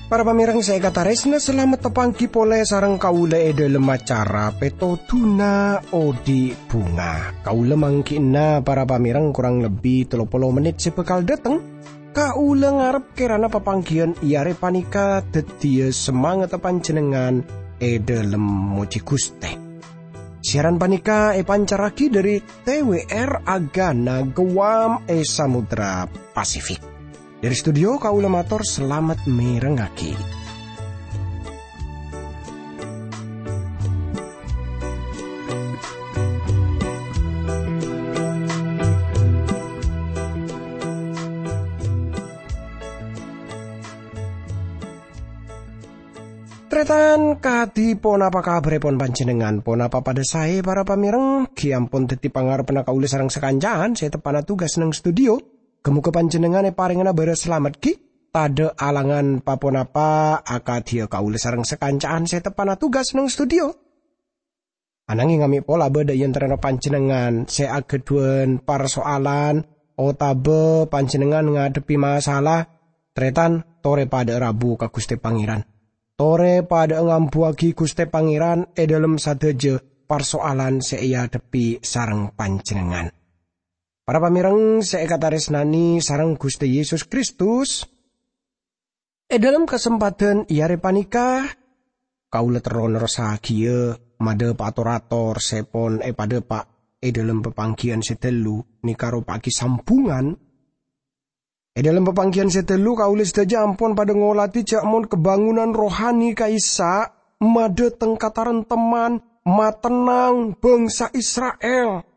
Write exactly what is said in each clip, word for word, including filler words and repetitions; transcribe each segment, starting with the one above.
Para pamèrèng sè èkatarèsna, salamet tapangghi polè sareng kaulâ è dhâlem acara Pètodhuna Odi' Bhunga. Kaulâ mangghi'na para pamèrèng korang lebbi tello polo mennit sè bhâkal dhâteng. Kaulâ ngarep kèrana papangghiyân è arè panèka dhâddhiyâ samangatta panjhennengngan è dhâlem mojhi Ghustè. Siaran panèka èpancarraghi dhâri T W R Agana Guam è Samudra Pasifik. Dhâri studio kaulâ mator salamet mèrengngaghi. Tarètan, kadhi ponapa kabhârrèpon panjhennengngan? Ponapa padhâ saè, para pamèrèng? Ghi' ampon dhâddhi pangarebbhânna kaulâ sareng sakanca'an sè teppa'na tugas neng studio. Ghâ-mogâ panjhennengngan èparèngana bârâs salamet ghi', tadhâ' alangan pa-ponapa akadhiyâ kaulâ sareng sakanca'an sè teppa'na tugas neng studio. Ananging amè' pola bâdâ è antarana panjhennengngan sè aghâdhuwân parsoalan otabâ panjhennengngan ngadhebbhi masalah, tarètan, torè padhâ'â rabu ka Ghustè Pangèran. Torè padhâ'â ngambuwâghi Ghustè Pangèran è dhâlem sadhâjâ parsoalan sè èadhebbhi sareng panjhennengngan. Para pamèrèng sè èkatarèsnanè sareng Ghustè Yesus Kristus, è dhâlem kasempadhân è arè panèka, kaulâ terro nerrossaghiyâ madhâpa'a tor-ator sè pon èpadhâpa' è dhâlem papangghiyân sè ghâllu, nèka ropa'aghi sambhungan. È dhâlem papangghiyân sè ghâllu, kaulâ sadhâjâ ampon padhâ ngolatè jhâ' mon kabângonanna rohani ka'issa' madhâteng kataremtemman, matennang bhângsa Isra'il.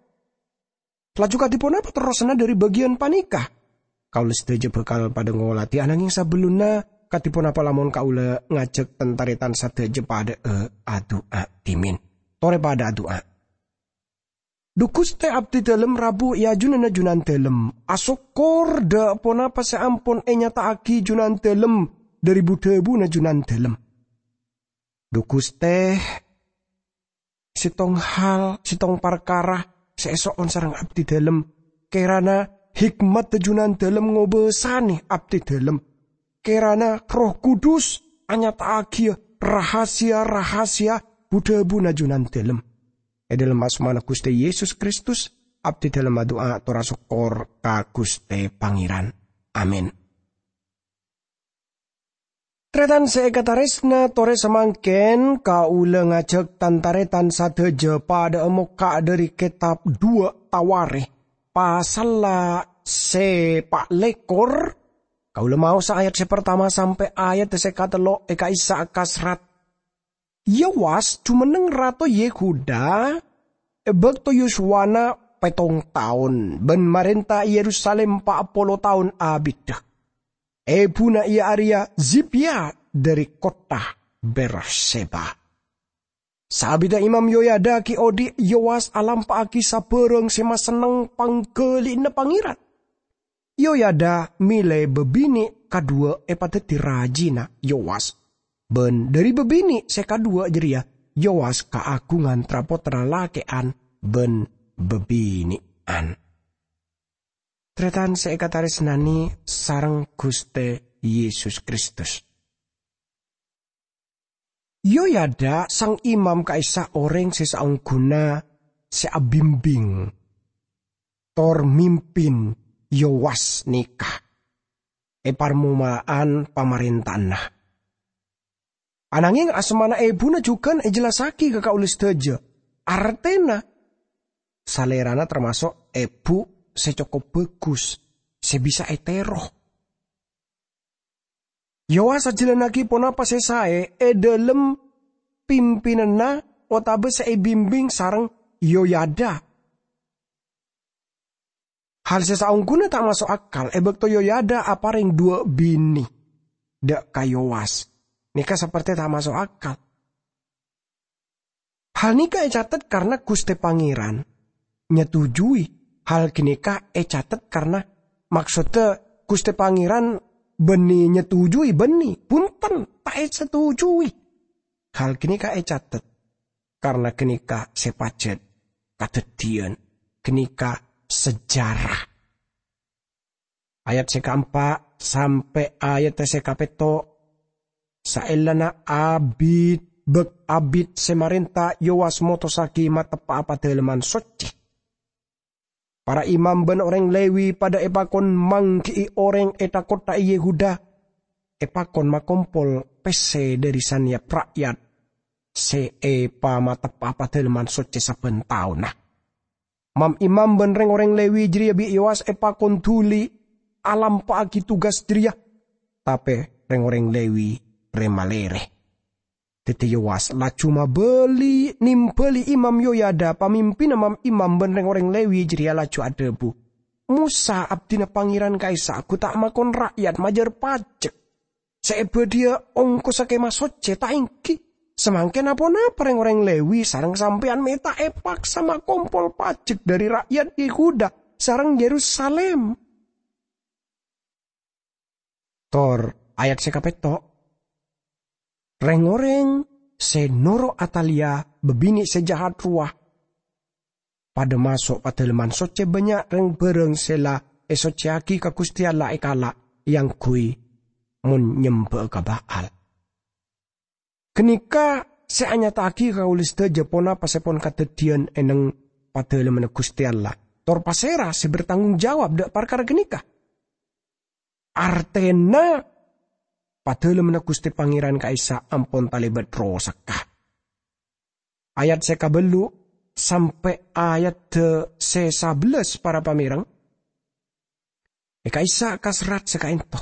Laju kadhi ponapa terrosanna dhâri bâgiyân panèka? Kaulâ sadhâjâ bhâkal padhâ ngolatè, ananging sabellunna, kadhi ponapa lamon kaulâ ngajhâk tan-tarètan sadhâjâ padhâ'â adu'a dhimèn? Torè padhâ adu'a. Dhu Ghustè, abdhi dhâlem rabu è ajunanna Junandhâlem. Asokkor dhâ' ponapa sè ampon ènyata'aghi Junandhâlem dhâri bu-dhâbuna Junandhâlem. Dhu Ghustè, sèttong hal, sèttong parkara sè èso'on sareng abdhi dhâlem. Kèrana hikmadda Junandhâlem ngobâsanè abdhi dhâlem. Kèrana Erroh Kudus anyata'aghiyâ rahasia-rahasia bu-dhâbuna Junandhâlem. È dhâlem asmana Ghustè Yesus Kristus, abdhi dhâlem adu'a tor asokkor ka Ghustè Pangèran. Amin. Tarètan sè èkatarèsna, torè samangkèn kaulâ ngajhâk tan-tarètan sadhâjâ padhâ'â mokka' dhâri kètab Duwâ' Tawarikh, pasalla sè pa' lèkor. Kaulâ maosa ayat sè partama sampè' ayat sè katello' è ka'issa' kasrat. Yowas jumenneng rato Yehuda è bâkto yuswana pèttong taon bân marènta è Yerusalim pa' polo taon abiddhâ. Ebuna iyâ arèya Zibya dhâri kottha Berseba. Saabiddhâ Imam Yoyada ghi' odi', Yowas alampa'aghi sabârâng sè masenneng pangghâli'ânna Pangèran. Yoyada mèlè bâbinè' kadhuwâ' èpadhâddhi rajina Yowas, bân dhâri bâbinè' sè kadhuwâ' jârèya Yowas kaagungan tra-pottra lakè'an bân bâbinè'an. Tarètan sè èkatarèsnanè sareng Ghustè Yesus Kristus. Yoyada sang imam ka'issa' orèng sè saongghuna sè abimbing tor mimpin Yowas nèka è parmoma'an pamarènta'anna. Anangèng asmana ebuna jhughân èjellassaghi ka kaulâ sadhâjâ. Artèna, salèrana tamaso' ebu sè cokop bhâghus, sè bisa ètèro. Yowas ajhâlannaghi ponapa sè saè è dhâlem pimpinanna otabâ sè èbimbing sareng Yoyada. Hal sè saongghuna ta' maso' akal è bâkto Yoyada aparèng dhuwâ' binè dhâ' ka Yowas. Nèka saperte ta' maso' akal. Hal nèka ècatet karna Ghustè Pangèran nyetujui. Hal ghânèka ècatet karna maksodda Ghustè Pangèran bânnè nyetujui, bânnè, bhunten, ta' èsetujui. Hal ganèka ècatet, karna ganèka sè pajhât kadhâddhiyân, ganèka sejarah. Ayat sè kaempa' sampè' ayat sè kapètto', saellana abit, bâk-abit sè marènta Yowas motossaghi mateppa'a Padâlemman Soccè. Para imam bân orèng Lewi padâ èpakon mangghi'i orèng è tha-kottha è Yehuda, èpakon makompol pèssè dhâri sanèyap ra'yat sè èpamateppa'a Padâlemman Soccè sabbhân taonna. Mam-imam bân rèng-orèng Lewi jârèya bi' Yowas èpakon dhuli alampa'aghi tugas jârèya, tapè rèng-orèng Lewi rè-malèrè. Dhâddhi Yowas laju mabâli, nèmbâli Imam Yoyada, pamimpinna mam-imam bân rèng-orèng Lewi jârèya laju adhâbu, "Mosa, abdhina Pangèran ka'issa' ghu ta' makon ra'yat majâr pajek sè èbâdhiyâ ongkossa Kèma Soccè, ta' ènggi? Samangkèn pa-ponapa rèng-orèng Lewi sareng sampèyan mè' ta' èpaksa makompol pajek dhâri ra'yat Yehuda sareng Yerusalim?" Tor ayat sè kapètto', rèng-orèng sè noro' Atalya, bâbinè' sè jahat rowa, padâ maso' Padâlemman Soccè, bânnya' rèng-bhârâng sè la èsoccèyaghi ka Ghustè Allah èkala', èangghuy mon nyembâ'â ka Ba'al. Ghânèka sè anyata'aghi ka kaulâ sadhâjâ ponapa sè pon kadhâddhiyân è neng Padâlemmanna Ghustè Allah, tor pasèra sè bertanggung jawab dhâ' parkara ghânèka. Artèna, Padâlemmanna Ghustè Pangèran ka'issa' ampon talèbât rosak. Ayat sè kabâllu' sampè' ayat sè sabellâs, para pamèrèng, è ka'issa' ka serrat sè ka'ènto.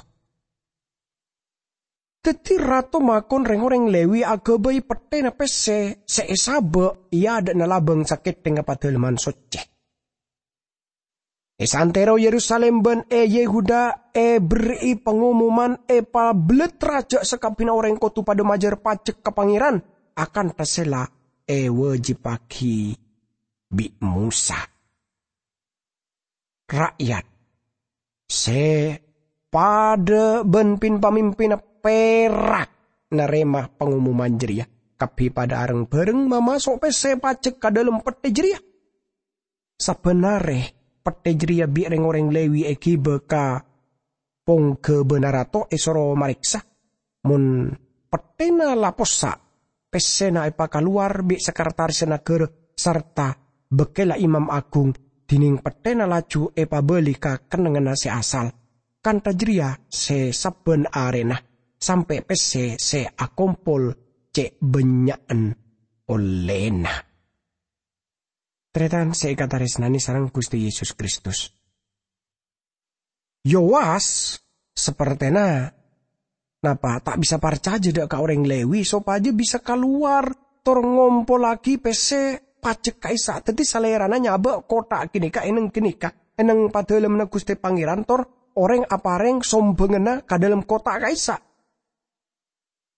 Dhâddhi, rato makon rèng-orèng Lewi aghâbây pettèna pèssè sè èsabâ' è adâ'na labâng sakèthèngnga Padâlemman Soccè. È saantèro Yerusalim bân è Yehuda èberri'i pangomoman èpabellettera jâ' sakabbhiyânna orèng kodhu padâ majâr pajek ka Pangèran akantha sè la èwâjibhâghi bi' Mosa. Ra'yat sè padâ bân pin-pamimpinna pèra' narèma pangomoman jârèya, kabbhi padâ areng-bhâreng mamaso' pèssè pajek ka dâlem pettè jârèya. Sabbhân arè, pettè jârèya bi' rèng-orèng Lewi èghibâ ka pongghâbâna rato, èsoro marèksa. Mon pettèna la possa', pèssèna èpakalowar bi' sekretarisna naghârâ sarta bâkkèlla imam aghung, dhinèng pettèna laju èpabâli ka kennengnganna sè asal. Kantha jârèya sè sabbhân arèna, sampè' pèssè sè akompol cè' bânnya'en ollèna. Tarètan sè èkatarèsnanè sareng Ghustè Yesus Kristus. Yowas, sapertèna, napa, ta' bisa parcajâ dhâ' ka orèng Lewi sopajâ bisa kalowar tor ngompollaghi pèssè pajek ka'issa'. Dhâddhi, salèrana nyabâ' kottha ghânèka è neng ghânèka, è neng Padâlemmanna Ghustè Pangèran, tor orèng aparèng sombhânganna ka dâlem kottha ka'issa'.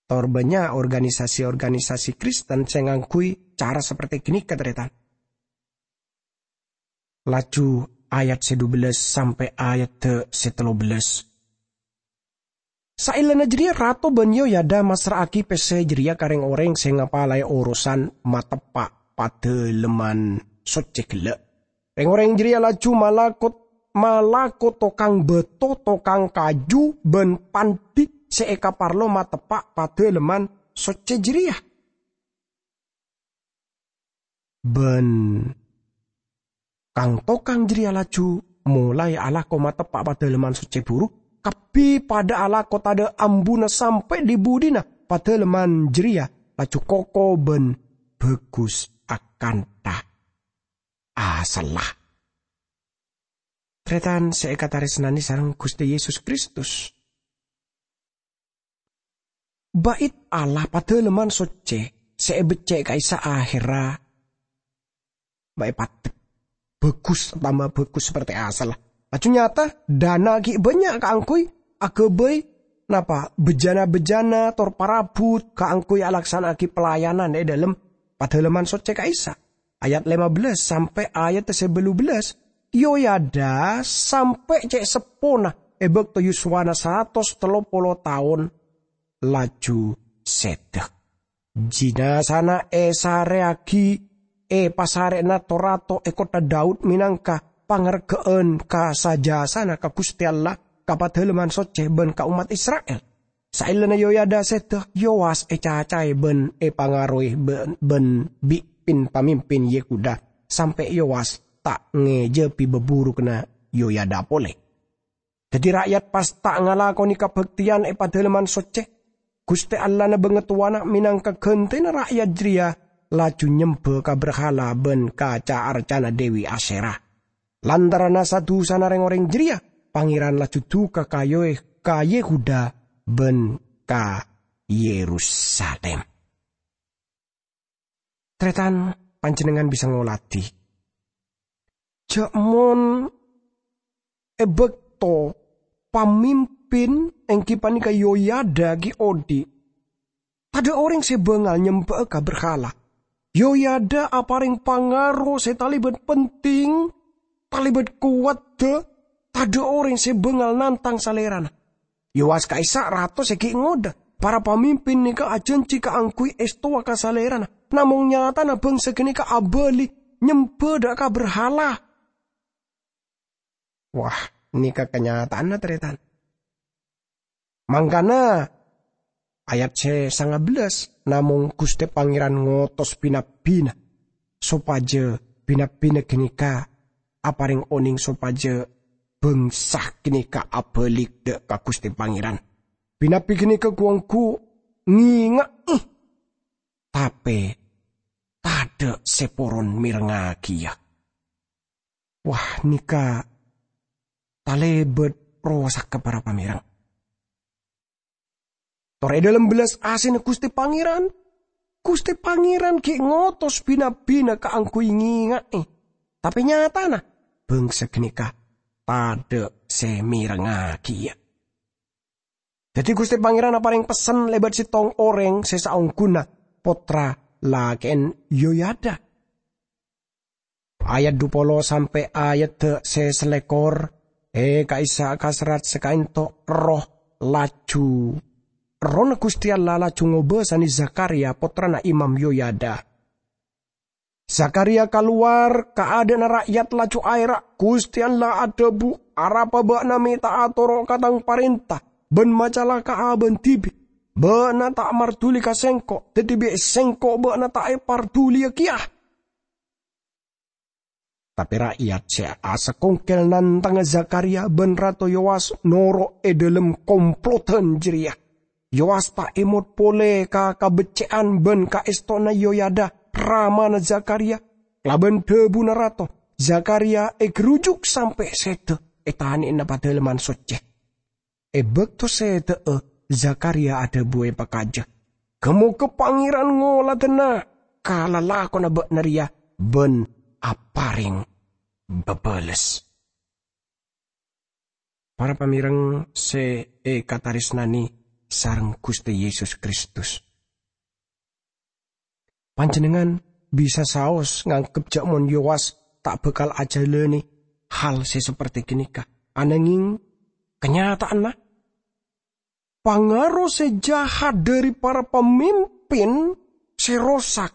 Tor bânnya' organisasi-organisasi Kristen sè ngangghuy cara sapertè ghânèka, tarètan. Laju ayat sè dubellâs sampè' ayat sè tellubellâs. Saellana jârèya, Rato bân Yoyada massra'aghi pèssè jârèya ka rèng-orèng sè ngapalaè orosan mateppa' Padâlemman Soccè ghellâ'. Rèng-orèng jârèya laju malako, malako tokang bâto, tokang kaju, bân pandhi sè èkaparlo mateppa' Padâlemman Soccè jârèya. Bân kang-tokang jârèya laju molaè alako mateppa' Padâlemman Soccè buru, kabbhi padâ alako tadâ' ambuna sampè' dhi-budhina Padâlemman jârèya laju koko bân bhâghus akantha asalla. Tarètan sè èkatarèsnanè sareng Ghustè Yesus Kristus. Bait Allah, Padâlemman Soccè sè èbeccè' ka'issa' ahèrra bâ' èpadâp. Bhâghus, tamba bhâghus sapertè asalla. Laju nyata, dâna ghi' bânnya' kaangghuy aghâbây, napa, bejana-bejana tor parabhut kaangghuy alaksana'aghi pelayanan è dâlem Padâlemman Soccè ka'issa'. Ayat lèma bellâs sampè' ayat sè bâllu bellâs, Yoyada sampè' cè' seppona è bâkto yuswana saratos tello polo taon laju sèdhâ. Jinazana èsarèyaghi è pasarè'na to-rato è kottha Daud mènangka pangarga'an ka sajâsana ka Ghustè Allah, ka Padalemman Soccè bân ka ommat Isra'il. Saellana Yoyada sèdhâ, Yowas ècacaè bân èpangaroè bân, bân bi' pin-pamimpin Yehuda, sampè' Yowas ta' ngèjâbi baburughânna Yoyada polè. Dhâddhi ra'yat pas ta' ngalakonè kabhâktèyan è Padalemman Soccè. Ghustè Allahna bângatowana mènangka ghântèna ra'yat jârèya laju nyembhâ ka berhala bân ka ca-arcana Dewi Asyera. Lantaranna sa-dusana rèng-orèng jârèya, Pangèran laju duka ka Yoe-, ka Yehuda bân ka Yerusalim. Tarètan, panjhennengngan bisa ngolatè jhâ' mon è bâkto pamimpin èngghi panèka Yoyada ghi' odi', tadhâ' orèng sè bângal nyembhâ'â ka berhala. Yoyada aparèng pangaro sè talèbât penting, talèbât kowadhâ, tadhâ' orèng sè bângal nantang salèrana. Yowas ka'issa' rato sè ghi' ngodâ. Para pamimpin nèka ajhânjhi kaangghuy èstowa ka salèrana. Namong nyatana bângsa ghânèka abâli nyembhâ dâ' ka berhala. Wah, nèka kanyata'anna, tarètan. Mangkana, ayat sè sanga bellâs, namong Ghustè Pangèran ngotos bi-nabbhina, sopajâ bi-nabbhina ghânèka aparèng onèng sopajâ bângsa ghânèka abâli dâ' ka Ghustè Pangèran. Bi-nabbi ghânèka ghu-ongghu ngènga'è, tapè tadhâ' sè poron mèrengngagiyâ. Wah, nèka talèbât rosak ka para pamèreng. Tor è dhâlem bellas asèna Ghustè Pangèran, Ghustè Pangèran ghi' ngotos bi-nabbhina kaangghuy ngènga'è. Tapè nyatana, bângsa ghânèka tadhâ' sè mèrengngagiyâ. Dhâddhi Ghustè Pangèran aparèng pessen lèbât sèttong orèng sè saongghuna, pottra lakè'en Yoyada. Ayat dhu polo sampè' ayat sè salèkor, è ka'issa' ka serrat sè ka'ento' Erroh laju, Errohna Ghustè Allah laju ngobâsanè Zakariya, pottrana Imam Yoyada. Zakariya kalowar ka adâ'na ra'yat laju aèra', "Ghustè Allah adhâbu, 'Arapa bâ'na mè' ta' atoro' ka Tang parènta bân macalaka'a bâ'na dhibi'? Bâ'na ta' marduli ka Sèngko', dhâddhi bi' Sèngko' bâ'na ta' èparduliyâ kèya.'" Tapè ra'yat sè asakongkel nantangnga Zakariya bân Rato Yowas noro' è dhâlem komplodhân jârèya. Yowas ta' èmot polè ka kabeccè'an bân kaèstona Yoyada, ramana Zakariya. Kalabân dhâbuna rato, Zakariya ègherujuk sampè' sèdhâ è tanè'na Padalemman Soccè. È bâkto sèdhâ'â, Zakariya adhâbu èpakajâ, "Ghâ-mogâ Pangèran ngoladhâna ka lalakonna bâ'na rèya bân aparèng bâbâles." Para pamèreng sè èkatarèsnanè sareng Ghustè Yesus Kristus. Panjhennengngan bisa saos nganggep jhâ' mon Yowas ta' bhâkal ajhâlânè hal sè saperti ghânèka. Ananghing, kanyata'anna, pangaro sè jahat dhâri para pamimpin sè rosak,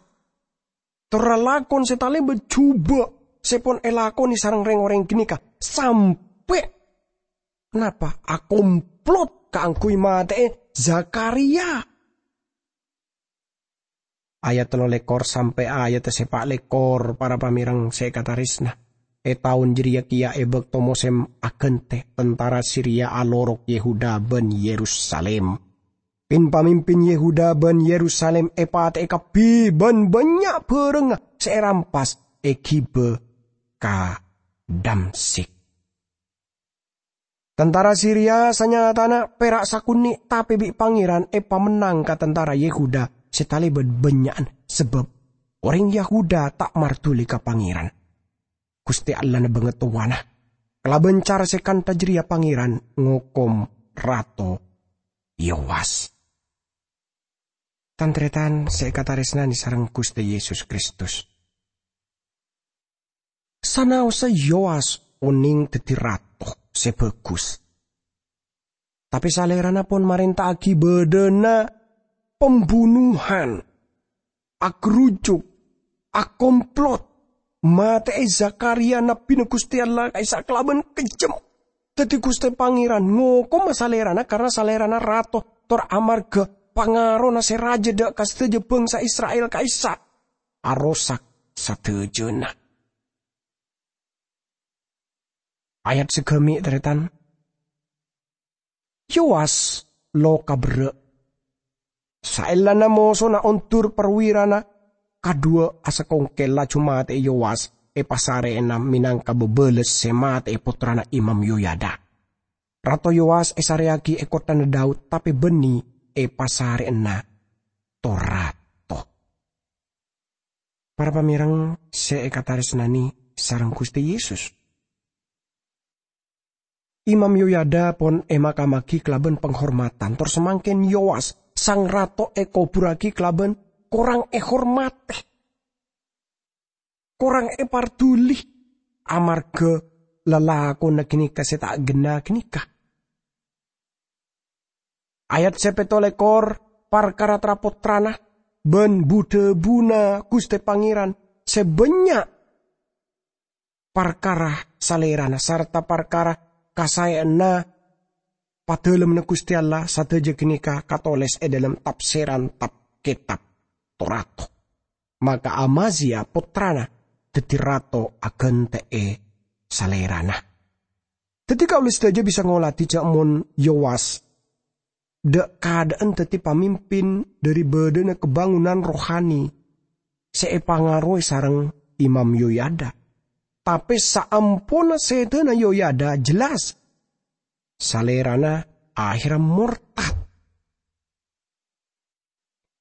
tor lalakon sè talèbât jhubâ' sè pon èlakonè sareng rèng-orèng ghânèka sampè' napa akomplot kaangghuy matè'è Zakariya. Ayat tello lèkor sampè' ayat sè pa' lèkor, para pamèreng sè èkatarèsna. È taon jârèya kèya è bâkto mosèm aghântè, tentara Siria alorok Yehuda bân Yerusalim. Pin-pamimpin Yehuda bân Yerusalim èpatè'è kabbhi bân bânnya' bhârângnga sè èrampas èghibâ ka Damsyik. Tentara Siria sanyatana pèra' sakonè', tapè bi' Pangèran èpamennang ka tentara Yehuda sè talèbât bânnya'an, sabâb orèng Yehuda ta' marduli ka Pangèran, Ghustè Allahna bângatowana. Kalabân cara sè kantha jârèya Pangèran ngokom Rato Yowas. Tan-tarètan sè èkatarèsnanè sareng Ghustè Yesus Kristus. Sanaossa Yowas onèng dhâddhi rato sè bhâghus, tapè salèrana pon marènta'aghi bâdâna pembunuhan. agerujuk, akomplot, matè'è Zakharia nabbhina Ghustè Allah ka'issa' kalabân kejjhem. Dhâddhi Ghustè Pangèran ngokoma salèrana karana salèrana rato, tor amarghâ pangarona sè rajâ dâ' ka sadhâjâ bhângsa Isra'il ka'issa' arosak sadhâjâna. Ayat sagâmè', tarètan. Yowas loka berrâ'. Saellana mosona ondur parwirana, kadhuwâ asakongkel laju matè'è Yowas èpasarè'ana mènangka bâbâles sè matè'è pottrana Imam Yoyada. Rato Yowas èsarèyaghi è kotthana Daud, tapè bânnè èpasarè'ana to-rato. Para pamèreng sè èkatarèsnanè sareng Ghustè Yesus, Imam Yoyada pon èmakammaghi kalabân panghormadhân, tor samangkèn Yowas, sang rato, èkobhurraghi kalabân korang èhormadhi, korang èparduli, amarghâ lalakonna ghânèka sè ta' ghenna' ghânèka. Ayat sè pètto lèkor, parkara tra-pottrana bân bu-dhâbuna Ghustè Pangèran sè bânnya', parkara salèrana, sarta parkara kasaèyanna Padâlemmanna Ghustè Allah, sadhâjâ ghânèka katolès è dhâlem tapsiran tab-kètab to-rato. Maka Amazia, pottrana, dhâddhi rato aghântè'è salèrana. Dhâddhi kaulâ sadhâjâ bisa ngolatè jhâ' mon Yowas, dâ'-kadâ'ân dhâddhi pamimpin dhâri bâdâna kabângonan rohani sè èpangarowè sareng Imam Yoyada. Tapè saamponna sèdhâna Yoyada jelas salèrana ahèrra mortad.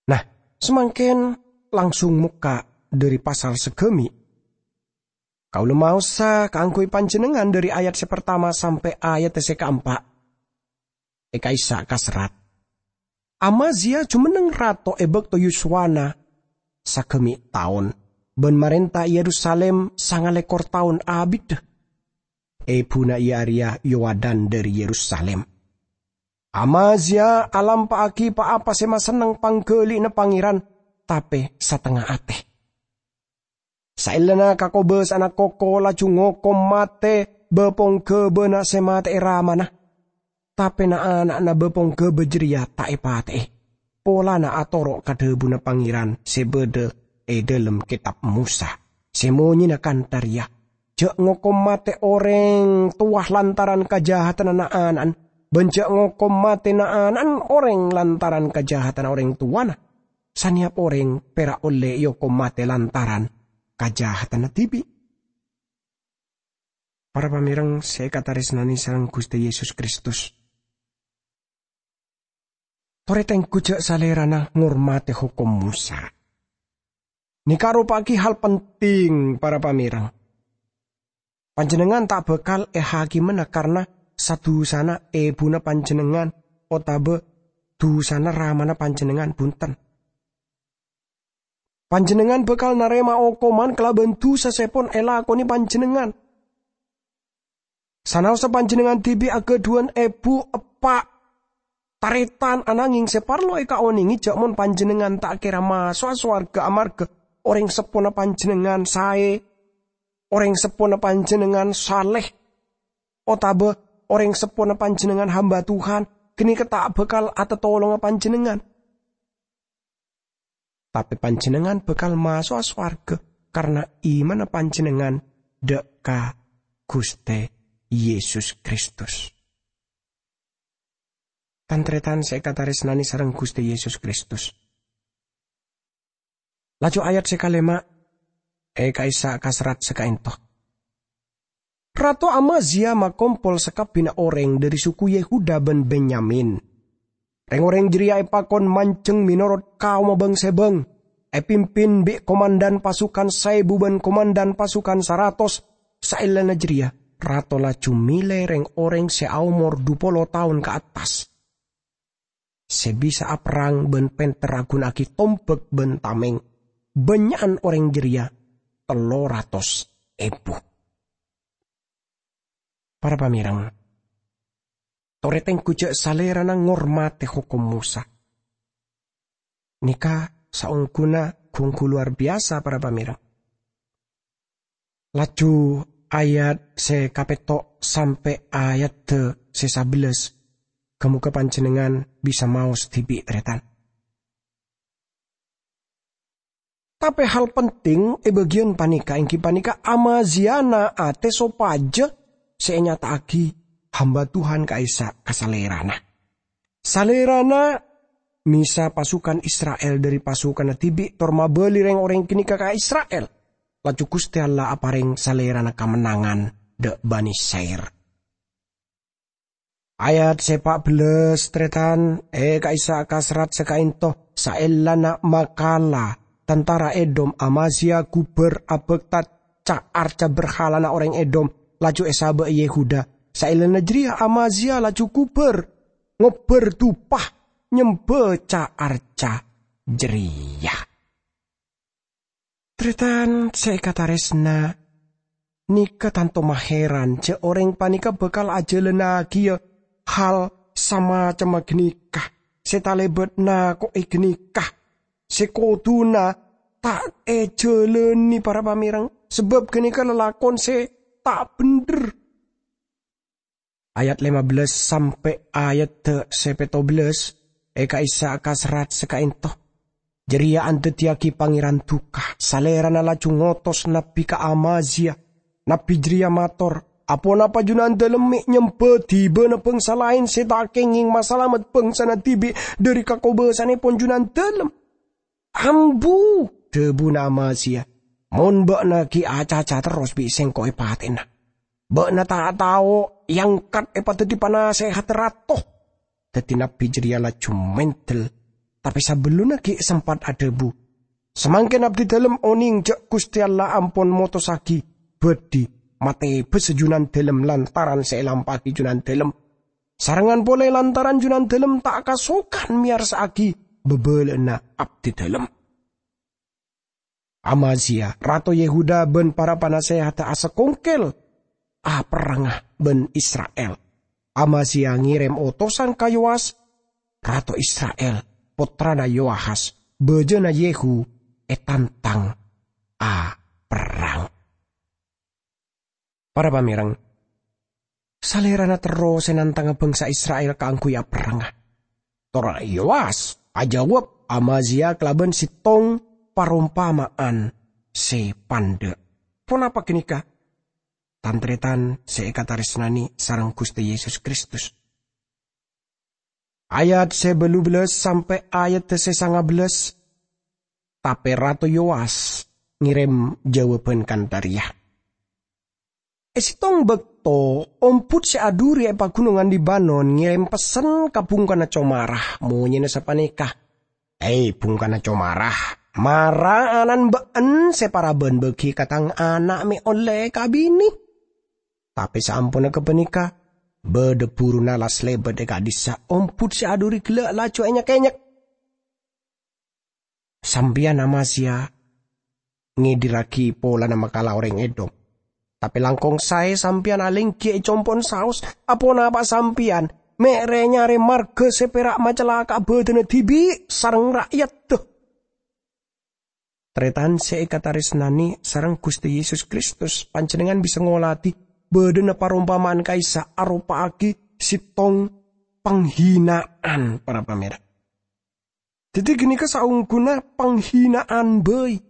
Nah, samangkèn langsung mokka' dhâri pasal sagâmè'. Kaulâ maosa kaangghuy panjhennengngan dhâri ayat sè partama sampè' ayat sè kaempa'. È ka'issa' kaserrat, Amazia jumenneng rato è bâkto yuswana sagâmè' taon, bân marènta è Yerusalim sangalèkor taon abiddhâ. Èbhuna iyâ arèya Yowadan dhâri Yerusalim. Amazia alampa'aghi pa-apa sè masenneng pangghâli'na Pangèran, tapè satengnga atè. Saellana kakobâsa'anna koko laju ngokom matè bâ-pongghâbâna sè matè'è ramana. Tapè na'-ana'na bâ-pongghâbâ jârèya ta' èpatè'è, polana atoro' ka dhâbuna Pangèran sè bâdâ è dhâlem Kètab Mosa, sè monyèna kantha rèya, "Jhâ' ngokom matè orèng towa lantaran kajahatanna na'-ana'an, bân jhâ' ngokom matè na'-ana'an orèng lantaran kajahatanna orèng towana. Sanèyap orèng pèra' ollè èokom matè lantaran kajahatanna dhibi'." Para pamèreng sè èkatarèsnanè sareng Ghustè Yesus Kristus, torè tengghu jhâ' salèrana ngormatè hokom Mosa. Nèka aropa'aghi hal penting, para pamèreng. Panjhennengngan ta' bhâkal èhakimana karna sa-dusana èbhuna panjhennengngan otabâ dusana ramana panjhennengngan, bhunten. Panjhennengngan bhâkal narèma okoman kalabân dusa sè pon èlakonè panjhennengngan. Sanaossa panjhennengngan dhibi' aghâdhuwân èbhu, eppa', tarètan, ananghing sè parlo èkaonèngè jhâ' mon panjhennengngan ta' kèra maso'a sowarghâ amarghâ orèng seppona panjhennengngan saè, orèng seppona panjhennengngan saleh, otabâ orèng seppona panjhennengngan hamba Tuhan, ghânèka ta' bhâkal atatolonga panjhennengngan. Tapè panjhennengngan bhâkal maso'a sowarghâ karna imanna panjhennengngan dâ' ka Ghustè Yesus Kristus. Tan-tarètan sè èkatarèsnanè sareng Ghustè Yesus Kristus. Laju ayat sè kalèma' è ka'issa' kaserrat sakaènto. Rato Amazia makompol sakabbhiyânna orèng dhâri suku Yehuda bân Benyamin. Rèng-orèng jârèya èpakon manjheng mènorot kaomma bâng-sèbâng, èpimpin bi' komandhan pasukan saèbu bân komandhan pasukan saratos. Saellana jârèya, rato laju mèlè rèng-orèng sè aomor dhu polo taon ka attas, sè bisa aperrang bân pènter aghunaaghi tombhâk bân tamèng. Bânnya'an orèng jârèya tello ratos èbu. Para pamèreng, torè tengghu jhâ' salèrana ngormatè hokom Mosa. Nèka saongghuna bhunggu lowar biyasa, para pamèreng. Laju ayat sè kapètto' sampè' ayadda sè sabellâs, ghâ-mogâ panjhennengngan bisa maos dhibi', tarètan. Tapè hal penting è bâgiyân panèka èngghi panèka Amazia na'atè sopajâ sè ènyata'aghi hamba Tuhan ka'issa' ka salèrana. Salèrana mèsa pasukan Isra'il dhâri pasukanna dhibi' tor mabâli rèng-orèng ghânèka ka Isra'il. Laju Ghustè Allah aparèng salèrana kamennangan dhâ' Bani Sair. Ayat sè pa' bellâs, tarètan, è ka'issa' ka serrat sè ka'ento, saellana makala tantara Edom, Amazia ghubâr abhâkta ca-arca berhalana orèng Edom, laju èsabâ' Yehuda. Saellana jârèya Amazia laju ghubâr, ngobbhâr dupa nyembhâ ca-arca jârèya. Tarètan sè èkatarèsna, nèka tanto mahèran jâ' orèng panèka bhâkal ajhâlânnaghi hal samacemma ghânèka, sè talèbât nako'è ghânèka, sè kodhuna ta' èjhâlâni, para pamèreng, sabâb ghânèka lalakon sè ta' bhendher. Ayat lèma bellâs sampè' ayadda sè pètto bellâs, è ka'issa' ka serrat sè ka'ento. Jârèya andhâddhiyâghi Pangèran duka, salèrana laju ngotos nabbhi ka Amazia. Nabbhi jârèya mator, "Aponapa Junandâlem mè' nyembhâ dhibâna bhângsa laèn sè ta' kèngèng masalamet bhângsana dhibi' dhâri kakobâsanèpon Junandâlem?" "Ambu," dhâbuna Amazia, "mon bâ'na ghi' acaca terros bi' sèngko' èpatè'ana. Bâ'na ta' tao èangkat èpadhâddhi panasèhadda rato." Dhâddhi nabbhi jârèya laju mèndhâl, tapè sabellunna ghi' sempat adhâbu, "Samangkèn abdidâlem onèng jâ' Ghustè Allah ampon motossaghi bhâdhi matè bâsa Junandâlem lantaran sè èlampa'aghi Junandâlem. Sarengngan polè lantaran Junandâlem ta' kasokan mèyarsa'aghi bhâbhâlâ'ânna abdidâlem." Amazia, rato Yehuda bân para panasèhadda asakongkel aperrangnga bân Isra'il. Amazia ngèrèm otosan ka Yowas, rato Isra'il, pottrana Yoahas, bâjâna Yehu, ètantang aperrang. Para pamèreng, salèrana terro sè nantangnga bhângsa Isra'il kaangghuy aperrangnga. Tor Yowas ajâwâb Amazia kalabân sèttong parompama'an sè pandâ'. Ponapa ghânèka? Tan-tarètan sè èkatarèsnanè sareng Ghustè Yesus Kristus. Ayat sè bâllu bellâs sampè' ayat sè sanga bellâs. Tapè Rato Yowas ngèrèm jâwâbhân kantha rèya. È sèttong bâkto, ombhut sè adhuri è Paghunongan Libanon ngèrèm pessen ka bhungkana comara, monyèna sapanèka, "È, bhungkana comara, mara ana'na bâ'en sè parabân bâgi ka tang ana' mè' ollè kabinè." Tapè saamponna ghâpanèka, bâdâ buruna la salèbât è ka'dhissa', ombhut sè adhuri ghellâ' laju ènyek-ènyek. "Sampèyan Amazia ngèdirraghi polana makala orèng Edom. Tapè langkong saè sampèyan alèngghi è compo'na saos, aponapa sampèyan mè' rè-nyarè marghâ sè pèra' macalaka'a bâdâna dhibi' sareng ra'yadda?" Tarètan sè èkatarèsnanè sareng Ghustè Yesus Kristus, panjhennengngan bisa ngolatè bâdâna parompama'an ka'issa' aropa'aghi sèttong panghina'an, para pamèreng. Dhâddhi, ghânèka saongghuna panghina'an bhâi.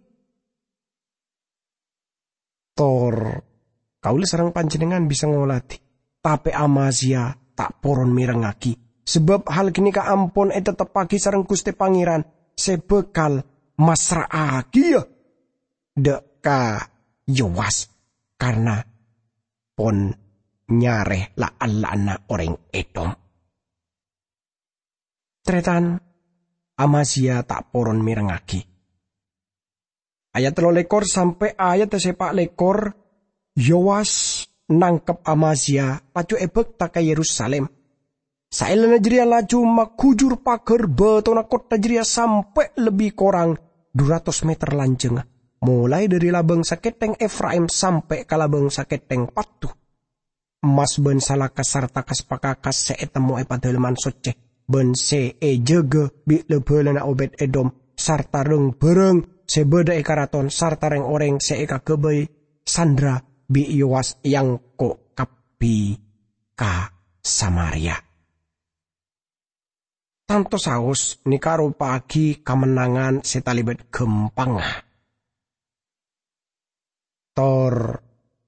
Tor, kaulâ sareng panjhennengngan bisa ngolatè, tapè Amazia ta' poron mèrengngaghi, sabâb hal ghânèka ampon ètetteppaghi sareng Ghustè Pangèran sè bhâkal massra'aghiyâ dâ' ka Yowas, karna pon nyarè la'-ella'anna orèng Edom. Tarètan, Amazia ta' poron mèrengngaghi. Ayat tello lèkor sampè' ayat sè pa' lèkor, Yowas nangkep Amazia, laju èbâkta ka Yerusalim. Saellana jârèya laju maghujur paghâr bâtona kottha jârèya sampè' lebbi korang du ratos mèter lanjhângnga, molaè dhâri labâng sakèthèng Efraim sampè' ka labâng sakèthèng patto. Emmas bân salaka sarta kas-pakakas sè ètemmo è Padâlemman Soccè, bân sè èjâgâ bi' la-bhâlana Obed-Edom, sarta rang-bhârâng sè bâḍâ è karaton, sarta rèng-orèng sè èkaghâbây Sandra bi' Yowas èangko' kabbhi ka Samaria. Tanto saos nèka aropa'aghi kamennangan sè talèbât ghâmpangnga. Tor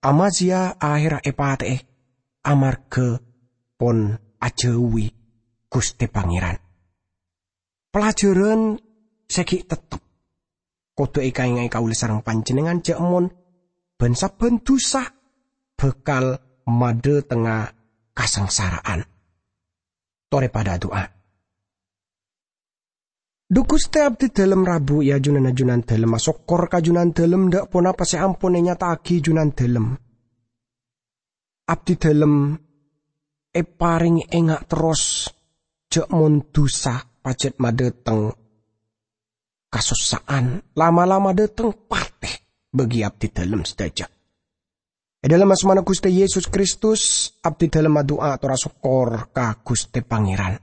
Amazia ahèrra èpatè'è amarghâ pon ajhâuwi Ghustè Pangèran. Pelajaran sè ghi' tettep kodhu èkaènga'è kaulâ sareng panjhennengngan jhâ' mon bân-sabbhân dhusa bhâkal maḍâtengnga kasangsara'an. Torè paḍâ adu'a. Ḍu Ghustè, abdhi ḍâlem rabu, yâ, Junanna Junandâlem, asokkor ka Junandâlem ḍâ' ponapa sè ampon ènyata'aghi Junandâlem. Abdhi ḍâlem èparèngè enga' terros jhâ' mon dhusa pajhât maḍâteng kasossa'an, la'-mala' maḍâteng patè bagi abdhi ḍâlem sadhâjâ. È ḍâlem asmana Ghustè Yesus Kristus, abdhi ḍâlem adu'a tor asokkor ka Ghustè Pangèran.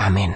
Amin.